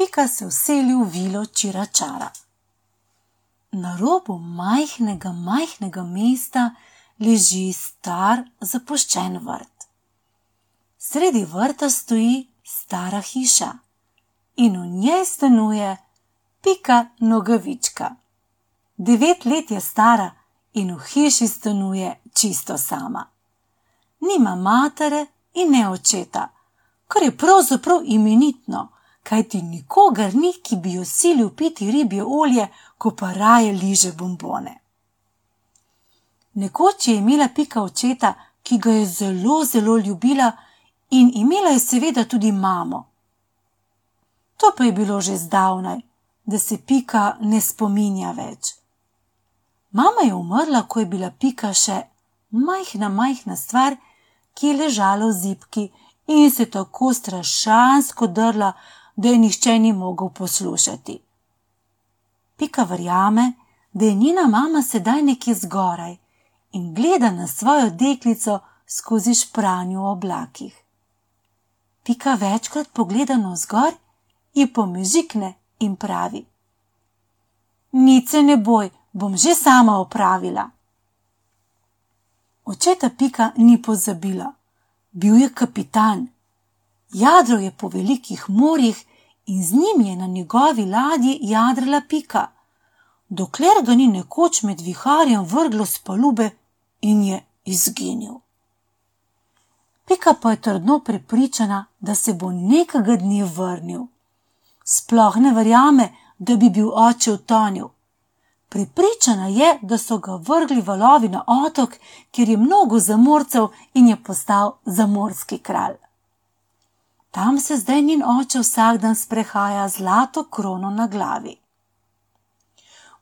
Pika se vseli v vilo Čiračara. Na robu majhnega mesta leži star zapuščen vrt. Sredi vrta stoji stara hiša in v njej stanuje Pika Nogavička. 9 let je stara in v hiši stanuje čisto sama. Nima matere in ne očeta, kar je pravzaprav imenitno, kajti nikogar ni, ki bi jo silil piti ribje olje, ko pa raje liže bombone. Nekoč je imela Pika očeta, ki ga je zelo ljubila, in imela je seveda tudi mamo. To pa je bilo že zdavnaj, da se Pika ne spominja več. Mama je umrla, ko je bila Pika še majhna stvar, ki je ležala v zibki in se tako strašansko drla, da je nihče ni mogel poslušati. Pika verjame, da je njena mama sedaj nekje zgoraj in gleda na svojo deklico skozi špranjo v oblakih. Pika večkrat pogleda navzgor, ji pomežikne in pravi: "Nič se ne boj, bom že sama opravila." Očeta Pika ni pozabila. Bil je kapitan. Jadral je po velikih morjih in z njim je na njegovi ladji jadrala Pika, dokler ga ni nekoč med viharjem vrglo s palube in je izginil. Pika pa je trdno prepričana, da se bo nekega dne vrnil. Sploh ne verjame, da bi bil oče utonil. Prepričana je, da so ga vrgli valovi na otok, kjer je mnogo zamorcev in je postal zamorski kralj. Tam se zdaj njen oče vsak dan sprehaja z zlato krono na glavi.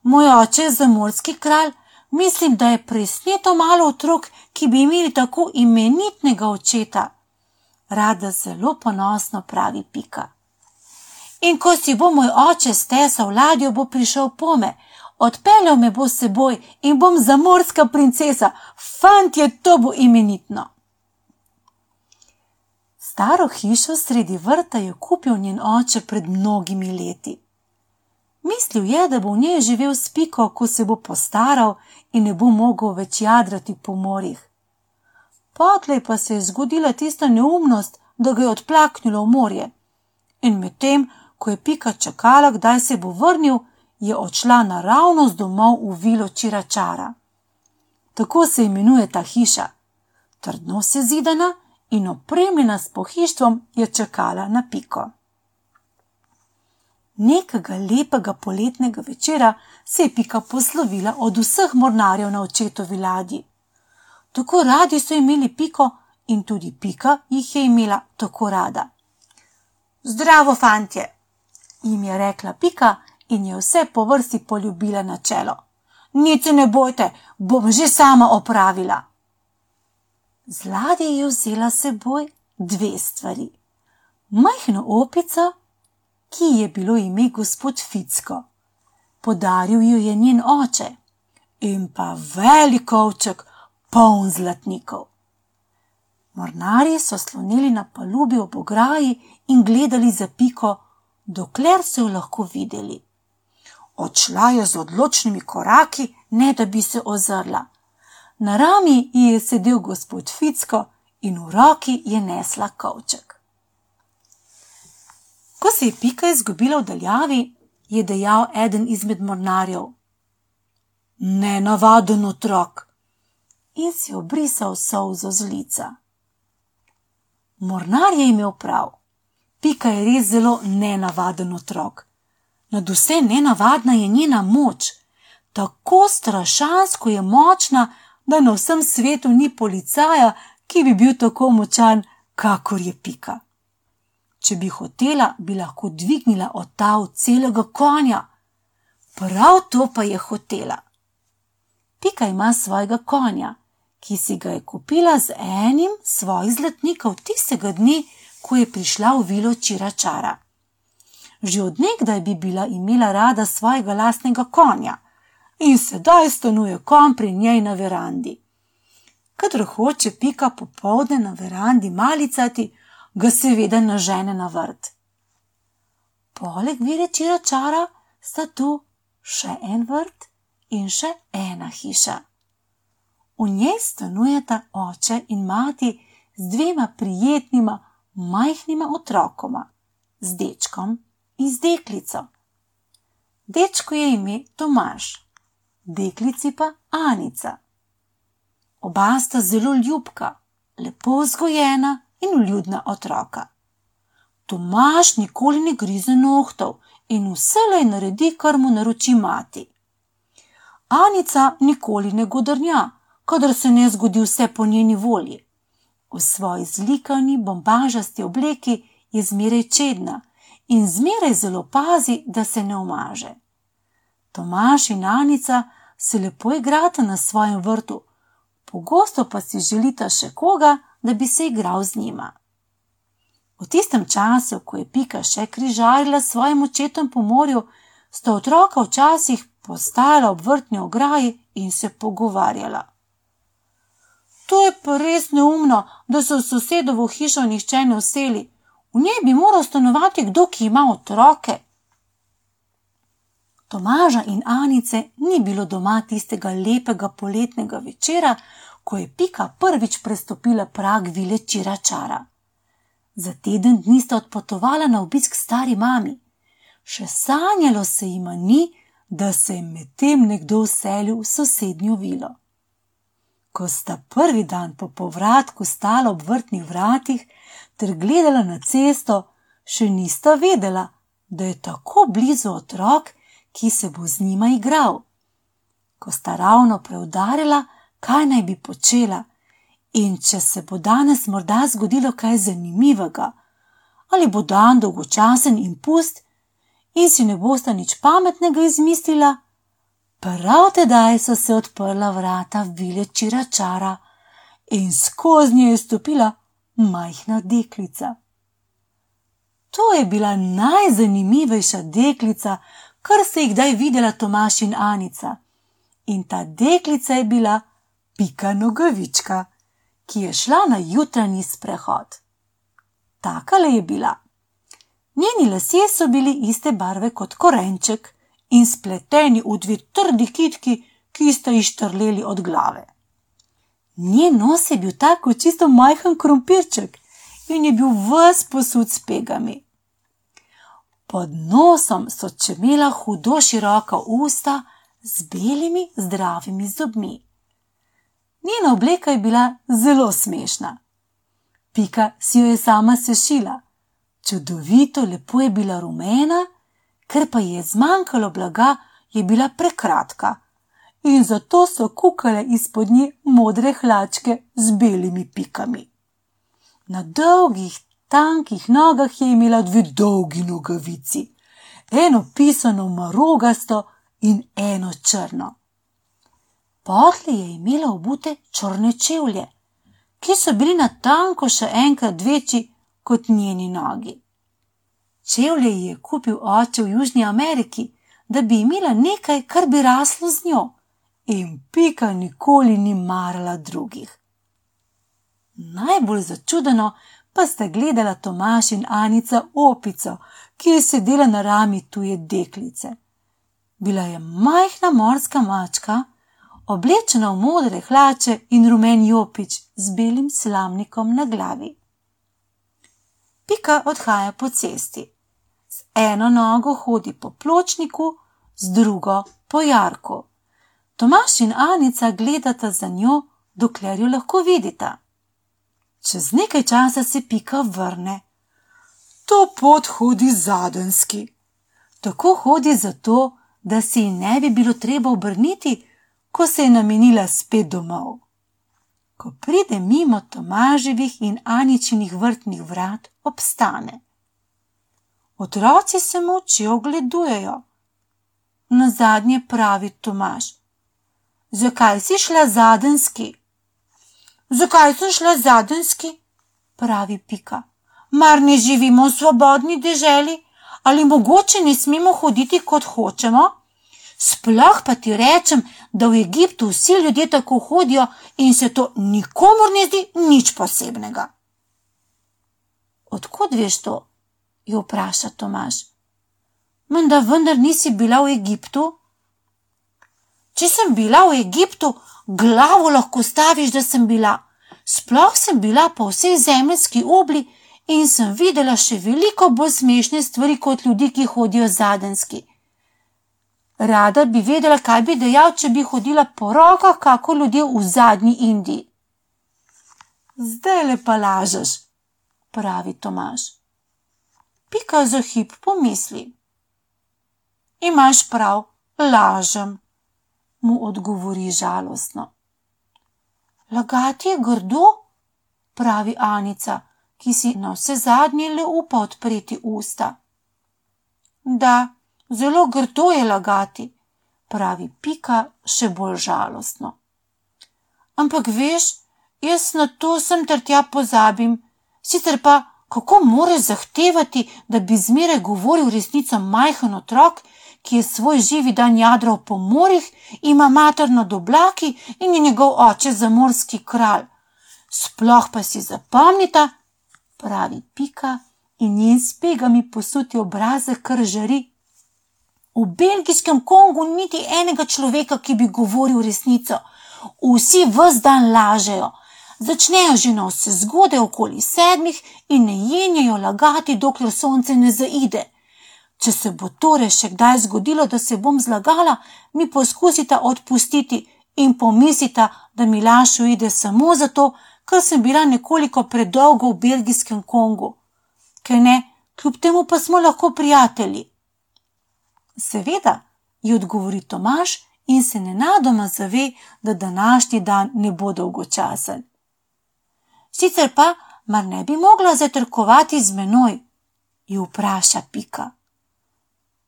"Moj oče je zamorski kralj, mislim, da je presneto malo otrok, ki bi imeli tako imenitnega očeta," rada zelo ponosno pravi Pika. "In ko si bo moj oče stesal ladjo, bo prišel pome, odpeljal me bo s seboj in bom zamorska princesa. Fantje, to bo imenitno." Staro hišo sredi vrta je kupil njen oče pred mnogimi leti. Mislil je, da bo v njej živel s Piko, ko se bo postaral in ne bo mogel več jadrati po morjih. Potlej pa se je zgodila tista neumnost, da ga je odplaknilo v morje. In medtem, ko je Pika čakala, kdaj se bo vrnil, je odšla naravnost domov v vilo Čiračara. Tako se imenuje ta hiša. Trdno sezidana in opremljena s pohištvom je čakala na Piko. Nekega lepega poletnega večera se je Pika poslovila od vseh mornarjev na očetovi ladji. Tako radi so imeli Piko in tudi Pika jih je imela tako rada. "Zdravo, fantje," jim je rekla Pika in je vse po vrsti poljubila na čelo. "Nič se ne bojte, bom že sama opravila." Z ladje je vzela s seboj 2 stvari. Majhno opico, ki je bilo ime gospod Ficko. Podaril jo je njen oče. In pa velik kovček, poln zlatnikov. Mornarji so slonili na palubi ob ograji in gledali za Piko, dokler so jo lahko videli. Odšla je z odločnimi koraki, ne da bi se ozrla. Na rami ji je sedel gospod Ficko in v roki je nesla kovček. Ko se je Pika izgubila v daljavi, je dejal eden izmed mornarjev: "Nenavaden otrok," in si obrisal solzo z lica. Mornar je imel prav. Pika je res zelo nenavaden otrok. Nadvse nenavadna je njena moč. Tako strašansko je močna, da na vsem svetu ni policaja, ki bi bil tako močan, kakor je Pika. Če bi hotela, bi lahko dvignila od tav celega konja. Prav to pa je hotela. Pika ima svojega konja, ki si ga je kupila z enim svojih zlatnikov tistega dne, ko je prišla v vilo Čiračara. Že od nekdaj bi bila imela rada svojega lastnega konja in sedaj stanuje konj pri njej na verandi. Kadar hoče Pika popoldne na verandi malicati, ga seveda nažene na vrt. poleg vile Čiračara sta tu še en vrt in še ena hiša. V njej stanujeta oče in mati z dvema prijetnima, majhnima otrokoma, z dečkom in z deklico. Dečku je ime Tomaž, deklici pa Anica. Oba sta zelo ljubka, lepo vzgojena in vljudna otroka. Tomaž nikoli ne grize nohtov in vselej naredi, kar mu naroči mati. Anica nikoli ne godrnja, kadar se ne zgodi vse po njeni volji. V svoji zlikani, bombažasti obleki je zmeraj čedna in zmeraj zelo pazi, da se ne omaže. Tomaž in Anica se lepo igrata na svojem vrtu, pogosto pa si želita še koga, da bi se igral z njima. V tistem času, ko je Pika še križarila s svojim očetom po morju, sta otroka včasih postajala ob vrtni ograji in se pogovarjala. To je pa res neumno, da se v sosedovo hišo nihče ne vseli. V njej bi moral stanovati kdo, ki ima otroke. Tomaža in Anice ni bilo doma tistega lepega poletnega večera, ko je Pika prvič prestopila prag vile Čiračara. Za teden dni sta odpotovala na obisk stari mami. Še sanjalo se jima ni, da se je medtem nekdo vselil v sosednjo vilo. Ko sta prvi dan po povratku stala ob vrtnih vratih ter gledala na cesto, še nista vedela, da je tako blizu otrok, ki se bo z njima igral. Ko sta ravno preudarila, kaj naj bi počela in če se bo danes morda zgodilo kaj zanimivega, ali bo dan dolgočasen in pust in si ne bosta nič pametnega izmislila, prav tedaj so se odprla vrata vile Čiračara in skozi nje je stopila majhna deklica. To je bila najzanimivejša deklica, kar se jih kdaj videla Tomaž in Anica. In ta deklica je bila Pika Nogavička, ki je šla na jutranji sprehod. Takale je bila. Njeni lasje so bili iste barve kot korenček in spleteni v dve trdi kitki, ki sta ji štrleli od glave. Njen nos je bil tak kot čisto majhen krompirček in je bil ves posut s pegami. Pod nosom so čemela hudo široka usta z belimi zdravimi zobmi. Njena obleka je bila zelo smešna. Pika si jo je sama sešila. Čudovito lepo je bila rumena, ker pa ji je zmanjkalo blaga, je bila prekratka in zato so kukale izpod nje modre hlačke z belimi pikami. Na dolgih, tankih nogah je imela dve dolgi nogavici, eno pisano marogasto in eno črno. Potlej je imela obute črne čevlje, ki so bili natanko še enkrat večji kot njeni nogi. Čevlje ji je kupil oče v Južni Ameriki, da bi imela nekaj, kar bi raslo z njo, in Pika nikoli ni marala drugih. Najbolj začudeno pa sta gledala Tomaž in Anica opico, ki je sedela na rami tuje deklice. Bila je majhna morska mačka, oblečena v modre hlače in rumen jopič z belim slamnikom na glavi. Pika odhaja po cesti. Z eno nogo hodi po pločniku, z drugo po jarku. Tomaž in Anica gledata za njo, dokler jo lahko vidita. Čez nekaj časa se Pika vrne. To pot hodi zadenski. Tako hodi zato, da se ji ne bi bilo treba obrniti, ko se je namenila spet domov. Ko pride mimo Tomaževih in Aničinih vrtnih vrat, obstane. Otroci se molče ogledujejo. Nazadnje pravi Tomaž: Zakaj si šla zadenski? Zakaj sem šla zadenski? Pravi Pika. Mar ne živimo v svobodni deželi? Ali mogoče ne smemo hoditi, kot hočemo? Sploh pa ti rečem, da v Egiptu vsi ljudje tako hodijo in se to nikomur ne zdi nič posebnega. Od kod veš to? Jo vpraša Tomaž. Menda vendar nisi bila v Egiptu? Če sem bila v Egiptu, glavo lahko staviš, da sem bila. Sploh sem bila po vsej zemeljski obli in sem videla še veliko bolj smešne stvari kot ljudi, ki hodijo zadenski. Rada bi vedela, kaj bi dejal, če bi hodila po rokah, kako ljudje v zadnji Indiji. Zdajle pa lažeš, pravi Tomaž. Pika za hip pomisli. Imaš prav, lažem, mu odgovori žalostno. Lagati je grdo, pravi Anica, ki si na vse zadnje le upa odpreti usta. Da, zelo grdo je lagati, pravi Pika še bolj žalostno. Ampak veš, jaz na to sem ter tja pozabim, sicer pa kako moreš zahtevati, da bi zmeraj govoril resnico majhen otrok, ki je svoj živi dan jadral po morjih, ima mater nad oblaki in je njegov oče zamorski kralj. Sploh pa si zapomnita, pravi Pika in njen s pegami posuti obrazek kar žari. V belgijskem Kongu niti enega človeka, ki bi govoril resnico. Vsi ves dan lažejo. Začnejo že na vse zgodaj okoli 7 in ne jenjajo lagati, dokler sonce ne zaide. Če se bo torej še kdaj zgodilo, da se bom zlagala, mi poskusita odpustiti in pomislita, da mi laž uide samo zato, ker sem bila nekoliko predolgo v belgijskem Kongu. Ker ne, kljub temu pa smo lahko prijatelji. Seveda, ji odgovori Tomaž in se nenadoma zave, da današnji dan ne bo dolgočasen. Sicer pa, mar ne bi mogla zajtrkovati z menoj, ji vpraša Pika.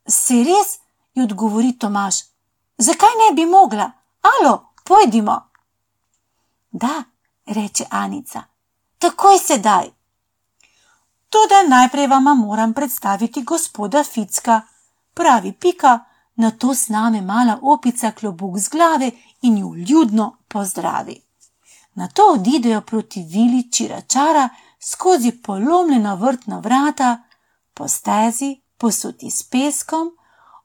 Se res, ji odgovori Tomaž, zakaj ne bi mogla? Alo, pojdimo. Da, reče Anica, takoj sedaj. Toda najprej vama moram predstaviti gospoda Ficka, pravi Pika, nato sname mala opica klobuk z glave in ju vljudno pozdravi. Nato odidejo proti vili Čiračara skozi polomljena vrtna vrata, po stezi, posuti s peskom,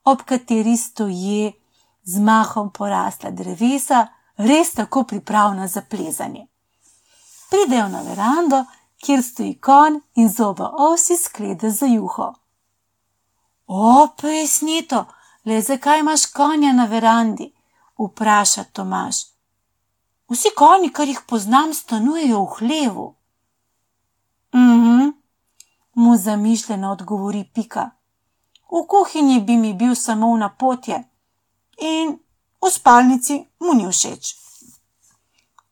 ob kateri stoje z mahom porasla drevesa, res tako pripravna za plezanje. Pridejo na verando, kjer stoji konj in z oba osi sklede za juho. O, pesnito, le zakaj imaš konja na verandi? Vpraša Tomaž. Vsi konji, kar jih poznam, stanujejo v hlevu. Mu zamišljeno odgovori Pika. V kuhinji bi mi bil samo v napotje in v spalnici mu ni všeč.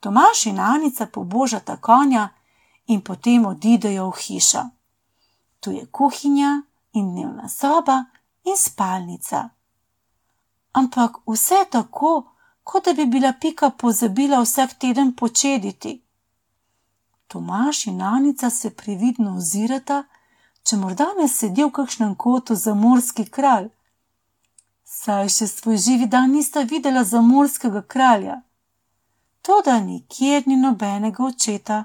Tomaž in Anica pobožata konja in potem odidejo v hišo. Tu je kuhinja in dnevna soba in spalnica. Ampak vse tako, kot da bi bila Pika pozabila vsak teden počediti. Tomaž in Anica se previdno ozirata, če morda ne sedi v kakšnem kotu zamorski kralj. Saj še svoj živi dan nista videla zamorskega kralja. Toda nikjer ni nobenega očeta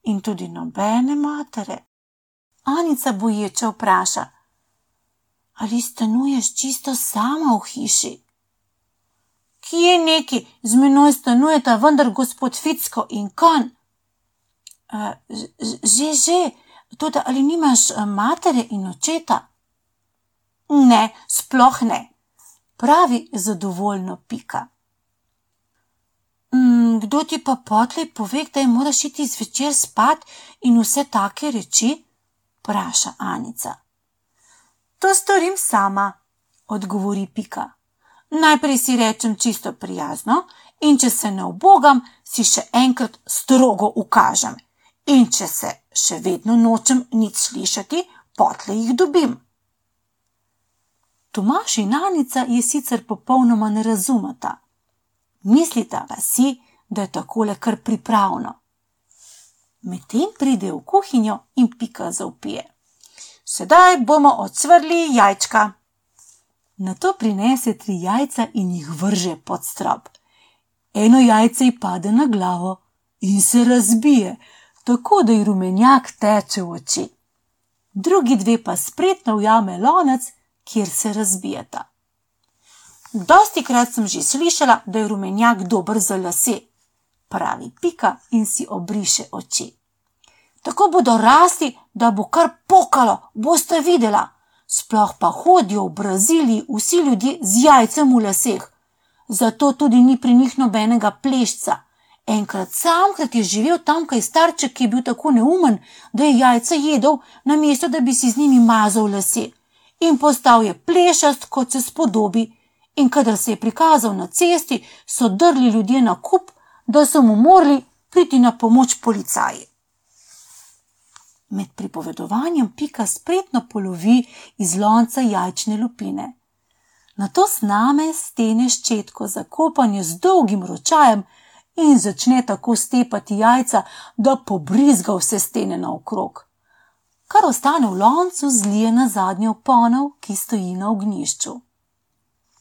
in tudi nobene matere. Anica boječe vpraša, ali stanuješ čisto sama v hiši? Kje neki, z menoj stanujeta vendar gospod Ficko in konj. Že, toda ali nimaš matere in očeta? Ne, sploh ne, pravi zadovoljno Pika. Kdo ti pa potlej pove, da je moraš iti zvečer spat in vse take reči? Vpraša Anica. To storim sama, odgovori Pika. Najprej si rečem čisto prijazno in če se ne ubogam, si še enkrat strogo ukažem. In če se še vedno nočem nič slišati, potlej jih dobim. Tomaž in Anica je sicer popolnoma ne razumeta. Mislita pa si, da je takole kar pripravno. Medtem pride v kuhinjo in Pika zavpije. Sedaj bomo ocvrli jajčka. Nato prinese 3 jajca in jih vrže pod strop. Eno jajce ji pade na glavo in se razbije, tako da ji rumenjak teče v oči. Drugi 2 pa spretno ujame lonec kjer se razbijeta. Dostikrat sem že slišala, da je rumenjak dober za lase, pravi Pika in si obriše oči. Tako bodo rasli, da bo kar pokalo, boste videla. Sploh pa hodijo v Braziliji vsi ljudje z jajcem v laseh. Zato tudi ni pri njih nobenega plešca. Samkrat je živel tamkaj starček, ki je bil tako neumen, da je jajca jedel, namesto da bi si z njimi mazal lase. In postal je plešast, kot se spodobi. In kadar se je prikazal na cesti, so drli ljudje na kup, da so mu morali priti na pomoč policaji. Med pripovedovanjem Pika spretno polovi iz lonca jajčne lupine. Nato sname stene ščetko za kopanje z dolgim ročajem in začne tako stepati jajca, da pobrizga vse stene naokrog. Kar ostane v loncu, zlije na zadnjo ponev, ki stoji na ognjišču.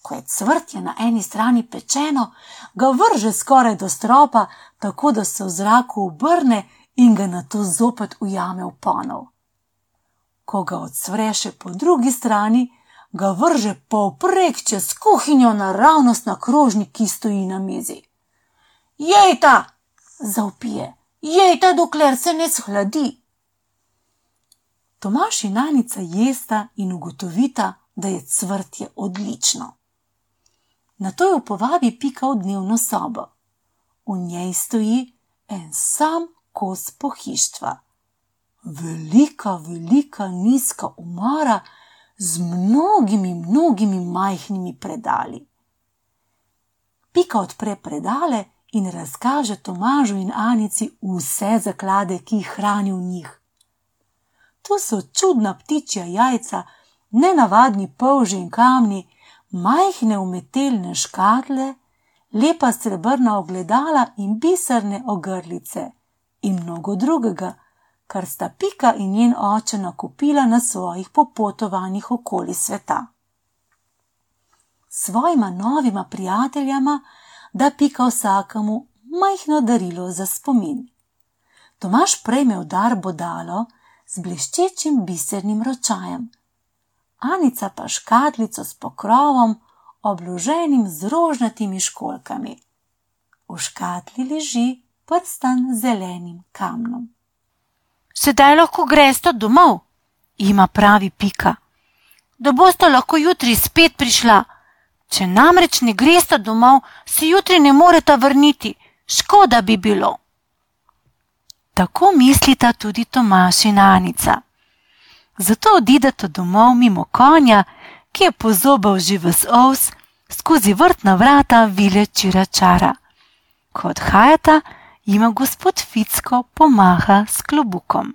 Ko je cvrtje na eni strani pečeno, ga vrže skoraj do stropa, tako da se v zraku obrne in ga nato zopet ujame v ponev. Ko ga odsvreše po drugi strani, ga vrže povprek čez kuhinjo naravnost na krožnik, ki stoji na mizi. Jejta, zavpije, jejta, dokler se ne shladi. Tomaž in Anica jesta in ugotovita, da je cvrtje odlično. Nato jo povabi Pika v dnevno sobo. V njej stoji en sam kos pohištva. Velika, nizka omara z mnogimi majhnimi predali. Pika odpre predale in razkaže Tomažu in Anici vse zaklade, ki jih hrani v njih. Tu so čudna ptičja jajca, nenavadni polži in kamni, majhne umetelne škatle, lepa srebrna ogledala in biserne ogrlice in mnogo drugega, kar sta Pika in njen oče nakupila na svojih popotovanjih okoli sveta. Svojima novima prijateljama da Pika vsakemu majhno darilo za spomin. Tomaž prejme v dar bodalo z bleščečim bisernim ročajem, Anica pa škatlico s pokrovom, obloženim z rožnatimi školjkami. V škatli leži prstan z zelenim kamnom. Sedaj lahko gresta domov, jima pravi Pika, da bosta lahko jutri spet prišla. Če namreč ne gresta domov, se jutri ne moreta vrniti, škoda bi bilo. Tako mislita tudi Tomaž in Anica. Zato odideta domov mimo konja, ki je pozobal že ves ovs, skozi vrtna vrata vile Čiračara. Ko odhajata, jima gospod Ficko pomaha s klobukom.